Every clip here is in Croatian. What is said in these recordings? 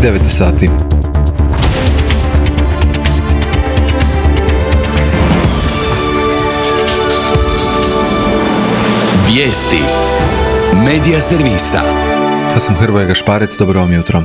9 sati. Vijesti Medija servisa. Ja sam Hrvoje Gašparec, dobro vam jutro.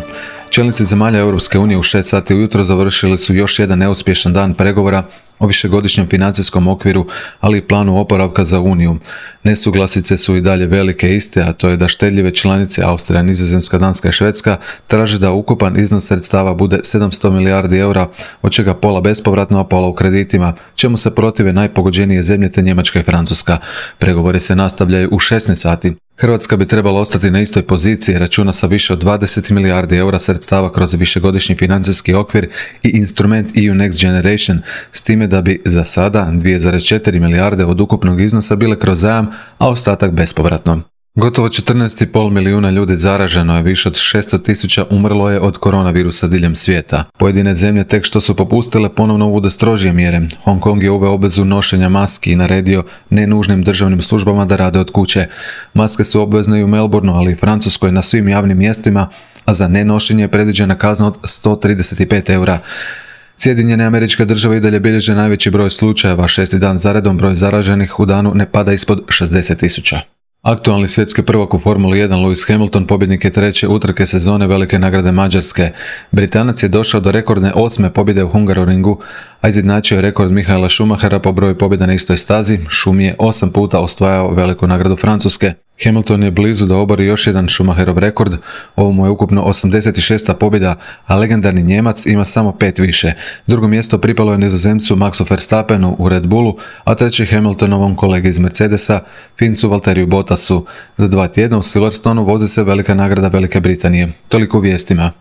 Čelnici zemalja Europske unije u 6 sati ujutro završili su još jedan neuspješan dan pregovora o višegodišnjem financijskom okviru, ali i planu oporavka za Uniju. Nesuglasice su i dalje velike iste, a to je da štedljive članice Austrija, Nizozemska, Danska i Švedska traže da ukupan iznos sredstava bude 700 milijardi eura, od čega pola bespovratno, a pola u kreditima, čemu se protive najpogođenije zemlje te Njemačka i Francuska. Pregovori se nastavljaju u 16 sati. Hrvatska bi trebala ostati na istoj poziciji, računa sa više od 20 milijardi eura sredstava kroz višegodišnji financijski okvir i instrument EU Next Generation, s time da bi za sada 2,4 milijarde od ukupnog iznosa bile kroz zajam, a ostatak bespovratno. Gotovo 14,5 milijuna ljudi zaraženo je, više od 600.000 umrlo je od koronavirusa diljem svijeta. Pojedine zemlje tek što su popustile ponovno uvode strožije mjere. Hong Kong je uveo obvezu nošenja maski i naredio nenužnim državnim službama da rade od kuće. Maske su obvezne i u Melbourneu, ali i Francuskoj na svim javnim mjestima, a za nenošenje je predviđena kazna od 135 eura. Sjedinjene Američke Države i dalje bilježe najveći broj slučajeva, 6. dan zaredom broj zaraženih u danu ne pada ispod 60.000. Aktualni svjetski prvak u Formuli 1 Lewis Hamilton pobjednik je 3. utrke sezone Velike nagrade Mađarske. Britanac je došao do rekordne 8. pobjede u Hungaroringu, a izjednačio je rekord Michaela Schumachera po broju pobjeda na istoj stazi. Schum je 8 puta osvajao Veliku nagradu Francuske. Hamilton je blizu da obori još jedan Schumacherov rekord, ovo mu je ukupno 86. pobjeda, a legendarni Njemac ima samo 5 više. Drugo mjesto pripalo je Nizozemcu Maxu Verstappenu u Red Bullu, a treći Hamiltonovom kolegi iz Mercedesa, Fincu Valteriju Bottasu. Za 2 tjedna u Silverstonu vozi se Velika nagrada Velike Britanije. Toliko u vijestima.